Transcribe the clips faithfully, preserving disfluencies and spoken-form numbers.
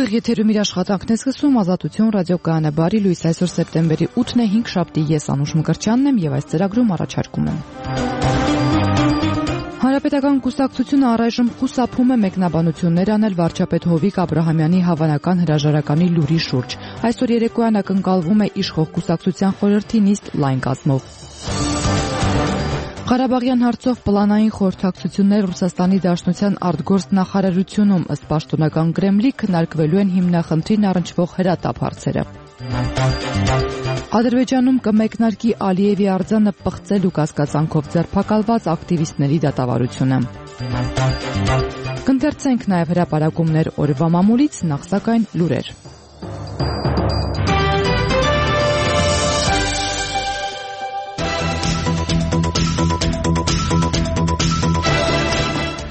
Ուղիղ եթերում իր աշխատանքն է սկսում Ազատություն ռադիոկայանը, բարի լույս, այսօր սեպտեմբերի ութն է, հինգշաբթի, ես Անուշ Մկրտչյանն եմ եւ այս ծրագրում առաջարկում եմ. Հանրապետական կուսակցությունը առայժմ խուսափում է մեկնաբանություններ անել վարչապետ Հովիկ Աբրահամյանի հավանական հրաժարականի լուրի շուրջ. Այսօր երեկոյան ակնկալվում է իշխող կուսակցության խորհրդի նիստ լայն կազմով. Ղարաբաղյան հարցով պլանային խորհրդակցություններ Ռուսաստանի Դաշնության արտգործ նախարարությունում, ըստ պաշտոնական Կրեմլի, քննարկվելու են հիմնախնդրին առնչվող հրատապ հարցերը. Ադրբեջանում կմեկնարկի Ալիևի արձանը պղծելու կասկածանքով ձերբակալված ակտիվիստների դատավարությունը. Կընթերցենք նաև հրապարակումներ օրվա մամուլից, նախ սակայն լուրեր.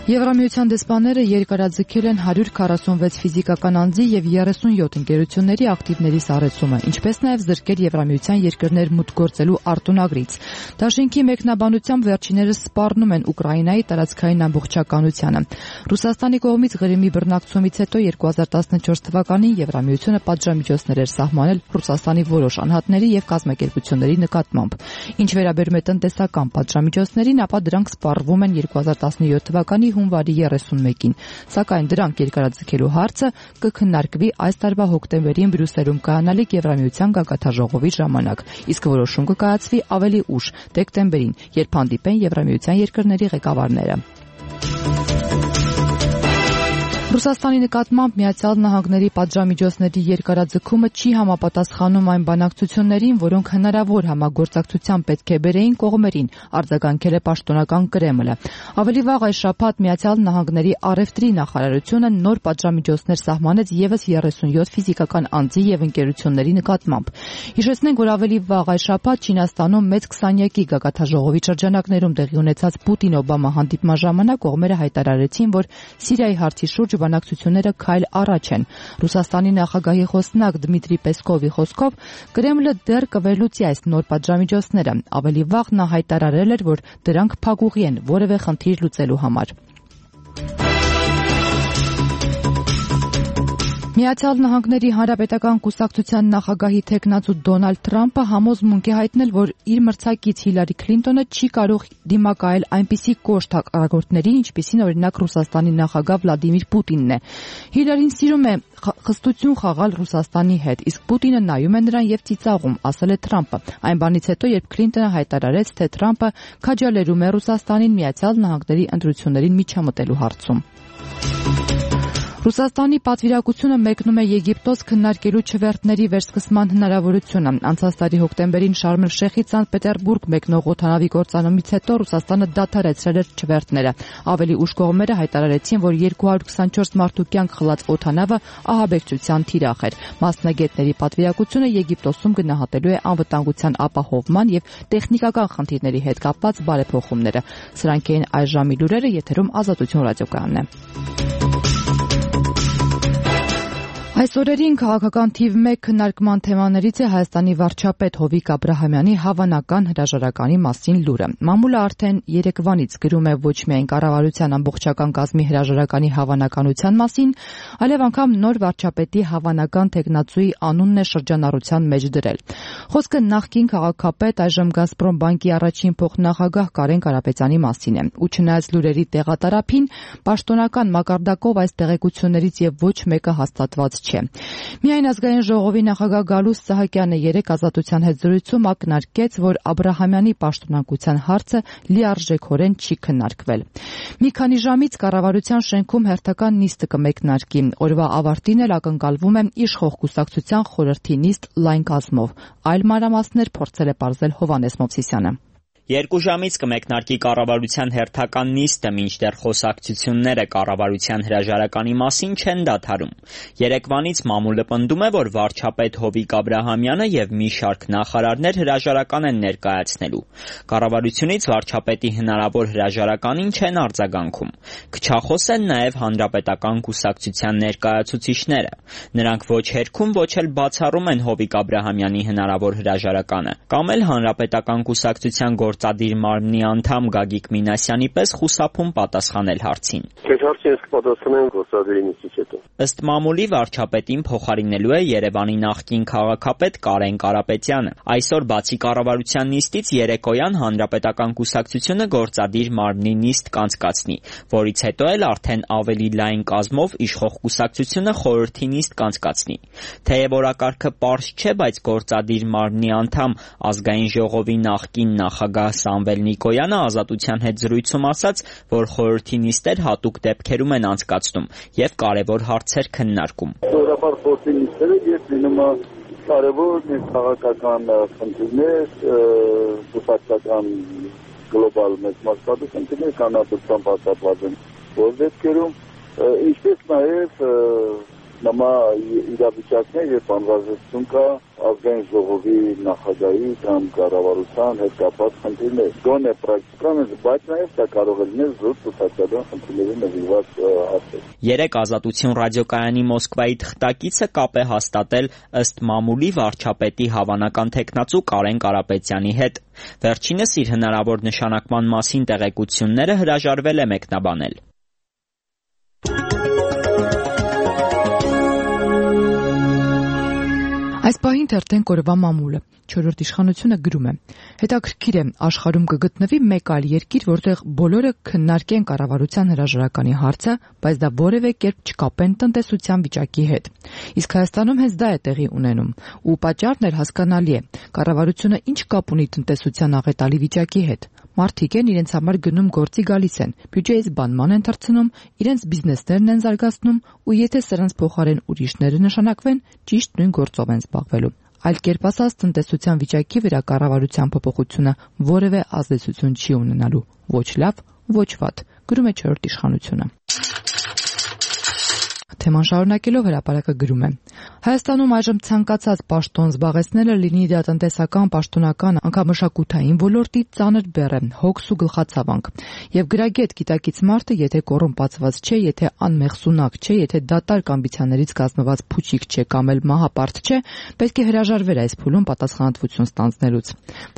Եվրամիության դեսպանները երկարաձգել են հարյուր քառասունվեց ֆիզիկական անձի եւ երեսունյոթ ընկերությունների ակտիվների սառեցումը, ինչպես նաեւ զրկել Եվրամիության երկրներ մուտք գործելու արտոնագրից. Դաշինքի մեկնաբանությամբ վերջիներս սպառնում են Ուկրաինայի տարածքային ամբողջականությանը. Ռուսաստանի կողմից Ղրիմի բռնակցումից հետո երկու հազար տասնչորս թվականին Եվրամիությունը պատժամիջոցներ էր սահմանել Ռուսաստանի որոշ անհատների եւ կազմակերպությունների նկատմամբ. Ինչ վերաբերում է տնտեսական պատժամիջոցներին, ապա դրանք սպառվում են երկու հազար տասնյոթ թվականի հունվարի երեսունմեկին, սակայն դրանք երկարաձգելու հարցը կքննարկվի այս տարվա հոկտեմբերին Բրյուսելում կայանալիք Եվրամիության գագաթնաժողովի ժամանակ, իսկ որոշում կկայացվի ավելի ուշ, դեկտեմբերին, երբ հանդիպեն Եվրամիության երկրների ղեկավարները. Ռուսաստանի նկատմամբ Միացյալ Նահանգների պատժամիջոցների երկարաձգումը չի համապատասխանում այն բանակցություններին, որոնք հնարավոր համագործակցության պետք է բերեին կողմերին, արձագանքել է պաշտոնական Կրեմլը. Ավելի վաղ այս շաբաթ Միացյալ Նահանգների առևտրի նախարարությունը նոր պատժամիջոցներ սահմանեց եւս երեսունյոթ ֆիզիկական անձի եւ ընկերությունների նկատմամբ. Հիշեցնենք, որ ավելի վաղ այս շաբաթ Չինաստանում մեծ քսանյակի գագաթնաժողովի շրջանակներում տեղի ունեցած Պուտին-Օբամա հանդիպման ժամանակ կողմերը հայտարարեցին, որ Սիրիայի հարցի շուրջ բանակցությունները քայլ առաջ են. Ռուսաստանի նախագահի խոսնակ Դմիտրի Պեսկովի խոսքով Կրեմլը դեռ կվերլուծի այս նոր պատժամիջոցները. Ավելի վաղ նա հայտարարել էր, որ դրանք փակուղի են որևէ խնդիր լուծելու համար. Միացյալ Նահանգների Հանրապետական կուսակցության նախագահի թեկնածու Դոնալդ Թրամփը համոզմունք է հայտնել, որ իր մրցակից Հիլարի Քլինտոնը չի կարող դիմակայել այնպիսի կոշտ հակառակորդներին, ինչպիսին օրինակ Ռուսաստանի նախագահ Վլադիմիր Պուտինն է. Հիլարին սիրում է խստություն խաղալ Ռուսաստանի հետ, իսկ Պուտինը նայում է նրան եւ ծիծաղում, ասել է Թրամփը. Այն բանից հետո, երբ Քլինտոնը հայտարարեց, թե Թրամփը քաջալերում է Ռուսաստանին Միացյալ Նահանգների ընտրություններին միջամտելու հարցում. Ռուսաստանի պատվիրակությունը մեկնում է Եգիպտոս քննարկելու չվերթների վերսկսման հնարավորությունը. Անցած տարի հոկտեմբերին Շարմ էլ-Շեյխից Սանտ Պետերբուրգ մեկնող օդանավի կործանումից հետո Ռուսաստանը դադարեցրել էր չվերթները. Ավելի ուշ կողմերը հայտարարեցին, որ երկու հարյուր քսանչորս մարդու կյանք խլած օդանավը ահաբեկչության թիրախ էր. Մասնագետների պատվիրակությունը Եգիպտոսում գնահատելու է անվտանգության ապահովման եւ տեխնիկական խնդիրների հետ կապված բարեփոխումները. Սրանք էին այս ժամի լուրերը, եթերում Ազատություն ռադիոկայանն է. Այս օրերին քաղաքական թիվ մեկ քննարկման թեմաներից է Հայաստանի վարչապետ Հովիկ Աբրահամյանի հավանական հրաժարականի մասին լուրը. Մամուլը արդեն երեկվանից գրում է ոչ միայն կառավարության ամբողջական կազմի հրաժարականի հավանականության մասին, այլև անգամ նոր վարչապետի հավանական թեկնածուի անունն է շրջանառության մեջ դրել. Խոսքը նախկին քաղաքապետ, այժմ Գազպրոմ բանկի առաջին փոխնախագահ Կարեն Կարապետյանի մասին է. Ու չնայած լուրերի տեղատարափին, պաշտոնական մակարդակով այս տեղեկություններից եւ ոչ մեկը հաստատված չէ. Միայն ազգային ժողովի նախագահ Գալուստ Սահակյանը երեկ Ազատության հետ զրույցում ակնարկեց, որ Աբրահամյանի պաշտոնակության հարցը լիարժեքորեն չի քննարկվել. Մի քանի ժամից կառավարության շենքում հերթական նիստը կմեկնարկի. Օրվա ավարտին էլ ակնկալվում է իշխող կուսակցության խորհրդի նիստ լայն կազմով. Այլ մանրամասներ փորձել է պարզել Հովհաննես Մովսիսյանը. Երկու ժամից կմեկնարկի կառավարության հերթական նիստը, մինչդեռ խոսակցությունները կառավարության հրաժարականի մասին չեն դադարում. Երեկվանից մամուլը պնդում է, որ վարչապետ Հովիկ Աբրահամյանը եւ մի շարք նախարարներ հրաժարական են ներկայացնելու. Կառավարությունից վարչապետի հնարավոր հրաժարականին չեն արձագանքում. Քչախոս են նաեւ հանրապետական կուսակցության ներկայացուցիչները. Նրանք ոչ հերքում, ոչ էլ բացառում են Հովիկ Աբրահամյանի հնարավոր հրաժարականը, կամ էլ հանրապետական կուսակցության գործադիր մարմնի անդամ Գագիկ Մինասյանի պես խուսափում պատասխանել հարցին։ Քեզ հարցին ես կպատասխանեմ գործադիրի նիստից հետո։ Ըստ մամուլի վարչապետին փոխարինելու է Երևանի նախկին քաղաքապետ Կարեն Կարապետյանը։ Այսօր բացի կառավարության նիստից երեկոյան Հանրապետական կուսակցությունը գործադիր մարմնի նիստ կանցկացնի, որից հետո էլ արդեն ավելի լայն կազմով իշխող կուսակցությունը խորհրդի նիստ կանցկացնի։ Թեև օրակարգը պարզ չէ, բայց գործադիր մարմնի անդամ Ազգային ժողովի նախկին նախագահ Սամվել Նիկոյանը Ազատության հետ զրույցում ասաց, որ խորհրդի նիստեր հատուկ դեպքերում են անցկացնում եւ կարեւոր հարցեր քննարկում։ Սովորաբար խորհրդի նիստերը ես լինում է կարևոր քաղաքական խնդիրներ, կուսակցական գլոբալ մեծ մասշտաբի խնդիրներ կանադության պատասխանատու են, որ դեպքերում ինչպես նաեւ նամա իրավիճակներ եւ անվազեցություն կա ազգային ժողովի նախագահի կամ կառավարության հետ կապված խնդիրներ։ Գոնե պրակտիկան է, բայց նաեւ դա կարող է լինել զուտ կուսակցական խնդիրների նվիրված հարցեր։ Երեք Ազատություն ռադիոկայանի Մոսկվայի թղթակիցը կապ է հաստատել ըստ մամուլի վարչապետի հավանական թեկնածու Կարեն Կարապետյանի հետ։ Վերջինս իր հնարավոր նշանակման մասին տեղեկությունները հրաժարվել է մեկնաբանել։ Այս պահին թերթենք օրվա մամուլը։ Չորրորդ իշխանությունը գրում է. հետաքրքիր է, աշխարհում կգտնվի մեկ այլ երկիր, որտեղ բոլորը քննարկեն կառավարության հրաժարականի հարցը, բայց դա որևէ կերպ չկապեն տնտեսության վիճակի հետ։ Իսկ Հայաստանում հենց դա է տեղի ունենում, ու պատճառն էլ հասկանալի է։ Կառավարությունը ինչ կապ ունի տնտեսության աղետալի վիճակի հետ։ Մարդիկ են իրենց համար գնում գործի գալիս են, բյուջեից բանման են թռցնում, իրենց բիզնեսներն են զարգացնում, ու եթե սրանց փոխարեն ուրիշները նշանակվեն, ճիշտ նույն գործով են զբաղվելու։ Այլ կերպ ասած, տնտեսության վիճակի վրա կառավարության փոփոխությունը որևէ ազդեցություն չի ունենալու, ոչ լավ, ոչ վատ, գրում է չորրորդ իշխանությունը։ Թեման շարունակելով հրապարակը գրում է. Հայաստանում այժմ ցանկացած պաշտոն զբաղեցնելը լինի դա տնտեսական, պաշտոնական, անգամ մշակութային ոլորտի ծանր բեռ է, հոգս ու գլխացավանք։ Եվ գրագետ գիտակից մարդը, եթե կոռումպացված չէ, եթե անմեղսունակ չէ, եթե դատարկ ամբիցիաներից կազմված փուչիկ չէ կամ էլ մահապարտ չէ, պետք է հրաժարվեր այս փուլում պատասխանատվություն ստանձնելուց,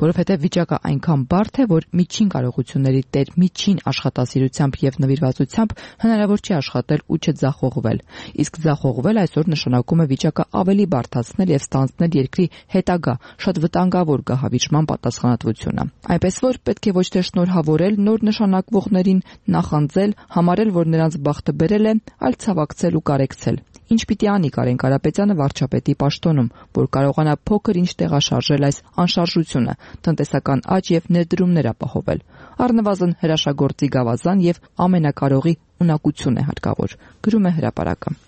որովհետև վիճակը այնքան բարդ է, որ միջին կարողությունների տեր միջին աշխատասիրությամբ եւ նվիրվածությամբ հնարավոր չէ աշխատել ու չձախողվել։ Իսկ ձախողվել այսօր նշանակում է վիճակը ավելի բարդացնել եւ ստանձնել երկրի հետագա շատ վտանգավոր գահավիճման պատասխանատվությունը։ Այնպես որ պետք է ոչ թե շնորհավորել նոր նշանակվողներին, նախանձել, համարել, որ նրանց բախտը բերել է, այլ ցավակցել ու կարեկցել։ Ինչ պիտի անի Կարեն Կարապետյանը վարչապետի պաշտոնում, որ կարողանա փոքր ինչ տեղաշարժել այս անշարժությունը, տնտեսական աճ եւ ներդրումներ ապահովել։ Առնվազն հրաշագործի գավազան եւ ամենակարողի ունակություն է հարկավոր, գրում է հրապարակը։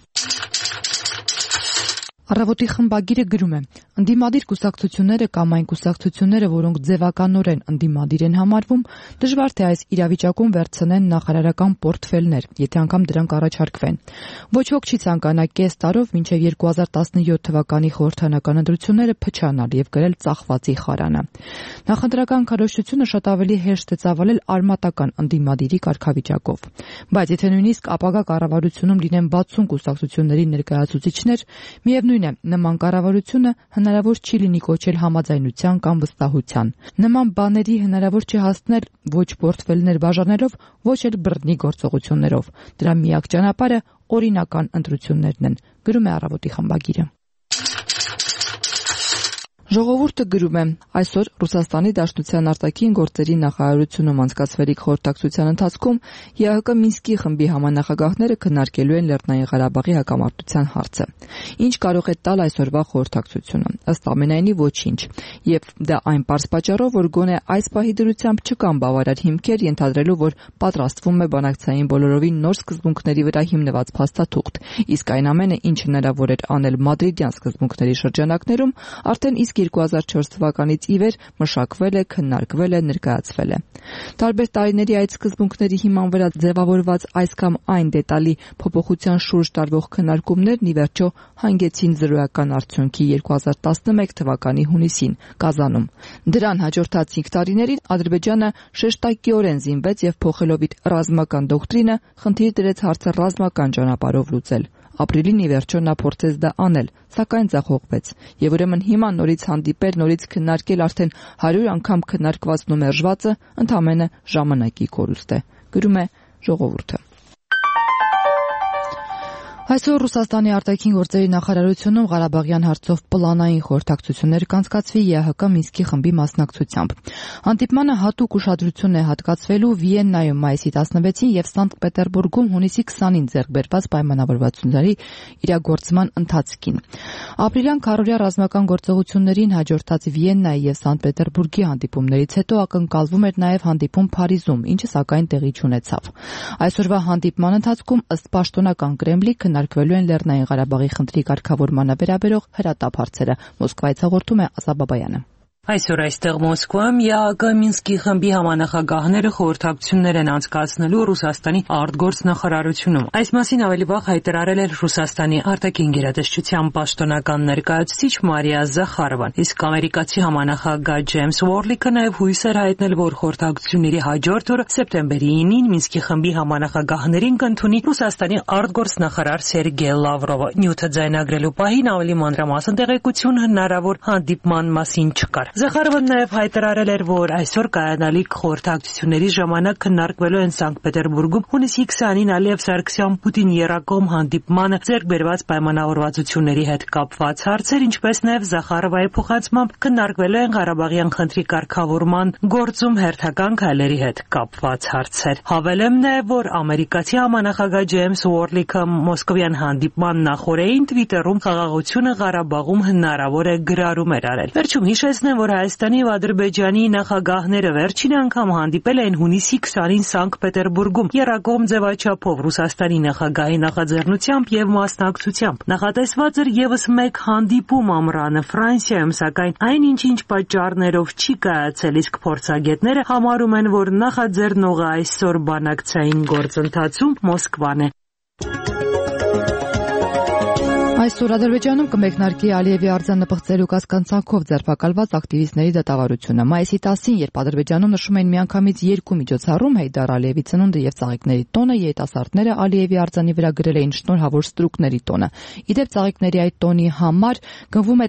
Առավոտի խմբագիրը գրում է. ընդդիմադիր կուսակցությունները կամ այն կուսակցությունները, որոնք ձևականորեն ընդդիմադիր են համարվում, դժվար թե այս իրավիճակում վերցնեն նախարարական պորտֆելներ, եթե անգամ դրանք առաջարկվեն։ Ոչ ոք չի ցանկանա կես տարով մինչև երկու հազար տասնյոթ թվականի խորհրդանական ընտրությունները փչանալ եւ գրել ծախվածի խարանը։ Նախընտրական քարոզչությունը շատ ավելի հեշտ է ծավալել արմատական ընդդիմադիրի կարգավիճակով։ Բայց եթե նույնիսկ ապագա կառավարությունում լինեն բացուն կուսակցությունների ներկայացուցիչներ, միևնույն է, նման կառավարությունը հնարավոր չի լինի կոչել համաձայնության կամ վստահության։ Նման բաների հնարավոր չէ հասնել ոչ պորտֆելներ բաժանելով, ոչ էլ բռնի գործողություններով։ Դրա միակ ճանապարհը օրինական ընտրություններն են, գրում է Առավոտի խմբագիրը։ Ժողովուրդը գրում է. այսօր Ռուսաստանի Դաշնության արտաքին գործերի նախարարությունում անցկացվելիք խորհրդակցության ընթացքում ԵԱՀԿ Մինսկի խմբի համանախագահները քննարկելու են Լեռնային Ղարաբաղի հակամարտության հարցը։ Ինչ կարող է տալ այսօրվա խորհրդակցությունը։ Ըստ ամենայնի ոչինչ։ Եվ դա այն պարզ պատճառով, որ գոնե այս պահի դրությամբ չկան բավարար հիմքեր ենթադրելու, որ պատրաստվում է բանակցային բոլորովին նոր սկզբունքների վրա հիմնված փաստաթուղթ։ Իսկ այն ամենը, ինչ հնարավոր էր անել մադրիդյան սկզբունքների շրջանակներում, արդեն իսկ երկու հազար չորս թվականից ի վեր մշակվել է, քննարկվել է, ներկայացվել է։ Տարբեր տարիների այդ սկզբունքների հիման վրա ձևավորված այս կամ այն դետալի փոփոխության շուրջ տարվող քննարկումներն ի վերջո հանգեցին զրոյական արդյունքի երկու հազար տասնմեկ թվականի հունիսին Կազանում։ Դրան հաջորդած cinque տարիներին Ադրբեջանը շեշտակիորեն զինվեց եւ փոխելով իր ռազմական դոկտրինը, խնդիր դրեց հարցը ռազմական ճանապարհով լուծել։ Ապրիլին ի վերջո նա փորձեց դա անել, սակայն ձախողվեց։ Եվ ուրեմն հիմա նորից հանդիպել, նորից քննարկել արդեն հարյուր անգամ քննարկվածն ու մերժվածը ընդամենը ժամանակի կորուստ է, գրում է Ժողովուրդը։ Այսօր Ռուսաստանի արտաքին գործերի նախարարությունում Ղարաբաղյան հարցով պլանային խորհրդակցություններ կանցկացվի ԵԱՀԿ Մինսկի խմբի մասնակցությամբ։ Հանդիպմանը հատուկ ուշադրություն է հատկացվելու Վիեննայում մայիսի տասնվեցին եւ Սանկտ Պետերբուրգում հունիսի քսանին ձեռք բերված պայմանավորվածությունների իրագործման ընթացքին։ Ապրիլյան քառօրյա ռազմական գործողություններին հաջորդած Վիեննայի եւ Սանկտ Պետերբուրգի հանդիպումներից հետո ակնկալվում էր նաեւ հանդիպում Փարիզում, ինչը սակայն տեղի չունեցավ։ Այսօրվա հանդիպման ընթացքում ըստ պաշտոնական Կրեմլի քննարկվելու են Լեռնային Ղարաբաղի խնդրի կարգավորմանը վերաբերող հրատապ հարցերը։ Մոսկվայից հաղորդում է Ասա Բաբայանը։ Այսօր այստեղ Մոսկվայում ԵԱՀԿ Մինսկի խմբի համանախագահները խորհրդակցություններ են անցկացնելու Ռուսաստանի արտգործնախարարությունում։ Այս մասին ավելի վաղ հայտարարել էր Ռուսաստանի արտաքին գերատեսչության պաշտոնական ներկայացուցիչ Մարիա Զախարովան, իսկ ամերիկացի համանախագահ Ջեյմս Ուորլիկը նաև հույս էր հայտնել, որ խորհրդակցությունների հաջորդ օրը սեպտեմբերի ինին Մինսկի խմբի համանախագահներին կընդունի Ռուսաստանի արտգործնախարար Սերգեյ Լավրովը։ Նյութը ձայնագրելու պահին ավելի մանրամասն տեղեկություն հնարավոր հանդիպման մասին չկար։ Զախարովն նաև հայտարարել էր, որ այսօր կայանալիք խորհրդակցությունների ժամանակ քննարկվելու են Սանկտ Պետերբուրգում հունիսի քսանին Ալիև Սարգսյան-Պուտին եռակողմ հանդիպմանը ձեռք բերված պայմանավորվածությունների հետ կապված հարցեր, ինչպես նաև Զախարովայի փոխանցմամբ քննարկվելու են Ղարաբաղյան խնդրի կարգավորման գործում հերթական քայլերի հետ կապված հարցեր։ Հավելեմ նաև, որ ամերիկացի համանախագահ Ջեյմս Ուորլիկը մոսկովյան հանդիպման նախօրեին Twitter-ում խաղաղությունը Ղարաբաղում հնարավոր է գրառում էր արել։ Վերջում հիշեցնեմ, որ Հայաստանի ու Ադրբեջանի նախագահները վերջին անգամ հանդիպել էին հունիսի քսանին Սանկտ Պետերբուրգում եռակողմ ձևաչափով Ռուսաստանի նախագահի նախաձեռնությամբ եւ մասնակցությամբ։ Նախատեսված էր եւս մեկ հանդիպում ամռանը Ֆրանսիայում, սակայն այնինչ ինչ պատճառներով չի կայացել, իսկ փորձագետները համարում են, որ նախաձեռնողը այսօր բանակցային գործընթացում Մոսկվան է։ Այսօր Ադրբեջանում կմեկնարկի Ալիևի արձանապղծելու կասկածանքով ձերբակալված ակտիվիստների դատավարությունը։ Մայիսի տասին, երբ Ադրբեջանում նշում են միանգամից երկու միջոցառում՝ Հեյդար Ալիևի ծնունդը եւ ծաղիկների տոնը, երիտասարդները Ալիևի արձանի վրա գրել էին շնորհավոր ստրուկների տոնը։ Իդեպ ծաղիկների այդ տոնի համար գնվում է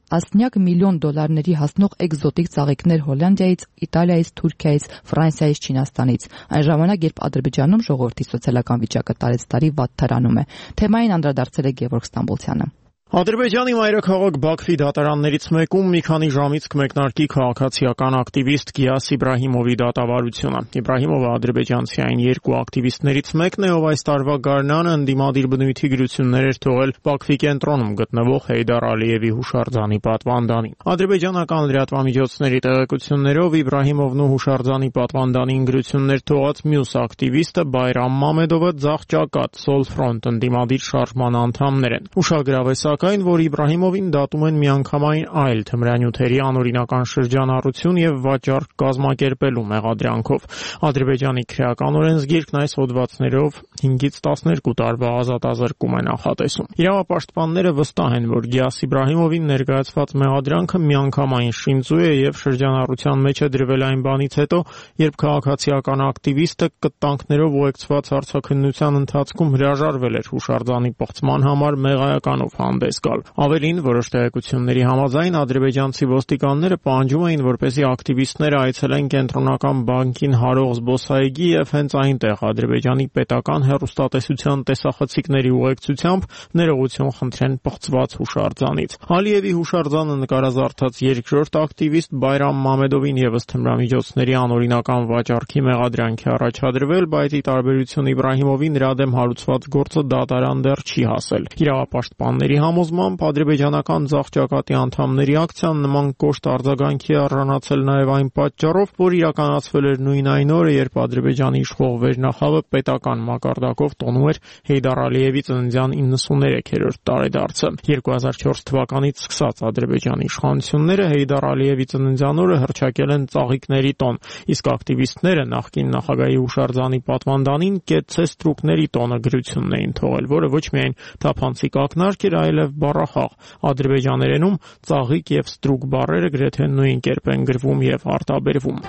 տասնյակ միլիոն դոլարների հասնող էկզոտիկ ծաղիկներ Հոլանդիայից, Իտալիայից, Թուրքիայից, Ֆրանսիայից, Չինաստանից։ Այն ժամանակ, երբ Ադրբեջանում ժողովրդի սոցիալական վիճակը տարեցտարի վատթարանում է։ Թեմային անդրադարձել է Գևորգ Ստամբոլցյանը։ Ադրբեջանի մայրաքաղաք Բաքվի դատարաններից մեկում մի քանի ժամից կմեկնարկի քաղաքացիական ակտիվիստ Գիաս Իբրահիմովի դատավարությունը։ Իբրահիմովը ադրբեջանցի այն երկու ակտիվիստներից մեկն է, ով այս տարվա գարնանը ընդդիմադիր բնույթի գրություններ էր թողել Բաքվի կենտրոնում գտնվող Հեյդար Ալիևի հուշարձանի պատվանդանին։ Ադրբեջանական լրատվամիջոցների տեղեկություններով Իբրահիմովն ու հուշարձանի պատվանդանին գրություններ թողած մյուս ակտիվիստը Բայրամ Մամեդովը ձախ ճակատ Սոլ Ֆրոնտ ընդդիմադիր շարժման անդամներ են։ Ուշագրավ է սակայն, որ Իբրահիմովին դատում են միանգամայն այլ թմրանյութերի անօրինական շրջանառություն եւ վաճառք կազմակերպելու մեղադրանքով։ Ադրբեջանի քրեական օրենսգիրքն այս հոդվածներով հինգից տասներկու տարվա ազատազրկում է նախատեսում։ Իրավապաշտպանները վստահ են, որ Գիաս Իբրահիմովին ներկայացված մեղադրանքը միանգամայն շինծու է եւ շրջանառության մեջ է դրվել այն բանից հետո, երբ քաղաքացիական ակտիվիստը կտանքներով ուղեկցված հարցաքննության ընթացքում հրաժարվել էր հուշարձանի պղծման համար մեղայականով հանդես գալ։ Ավելին, որոշ տեղեկությունների համաձայն ադրբեջանցի ոստիկանները պահանջում էին, որպեսզի ակտիվիստները այցելեն կենտրոնական բանկին հարող զբոսայգի եւ հենց այնտեղ Ադրբեջանի պետական հեռուստատեսության տեսախցիկների ուղեկցությամբ ներողություն խնդրեն պղծված հուշարձանից։ Ալիևի հուշարձանը նկարազարդած երկրորդ ակտիվիստ Բայրամ Մամեդովին եւս թմրամիջոցների անօրինական վաճառքի մեղադրանք է առաջադրվել, բայց ի տարբերություն Իբրահիմովի նրա դեմ հարուցված գործը դատարան դեռ չի հասել։ Իրավապաշտպանների համոզմամբ ադրբեջանական ձախ ճակատի անդամների ակցիան նման կոշտ արձագանքի առանցել նաև այն պատճառով, որ իրականացվել էր նույն այն օրը, երբ Ադրբեջանի իշխող վերնախավը պետական մակարդակով տոնում էր Հեյդար Ալիևի ծննդյան իննսուններեքերորդ տարեդարձը։ երկու հազար չորս թվականից սկսած Ադրբեջանի իշխանությունները Հեյդար Ալիևի ծննդյան օրը հռչակել են ծաղիկների տոն, իսկ ակտիվիստները նախկին նախագահի հուշարձանի պատվանդանին կեցցե ստրուկների տոնը գրությունն էին թողել, որը ոչ միայն թափանցիկ ակնարկ էր, այլև բառախաղ։ Ադրբեջաներենում ծաղիկ եւ ստրուկ բառերը գրեթե նույն կերպ են գրվում եւ արտաբերվում։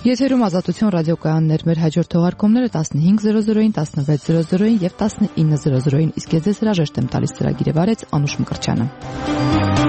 Եթերում Ազատություն ռադիոկայաններ, մեր հաջորդ թողարկումները տասնհինգ զրո զրոին, տասնվեց զրո զրոին եւ տասնինը զրո զրոին, իսկ ես ձեզ հրաժեշտ եմ տալիս ծրագիրը վարեց Անուշ Մկրտչյանը։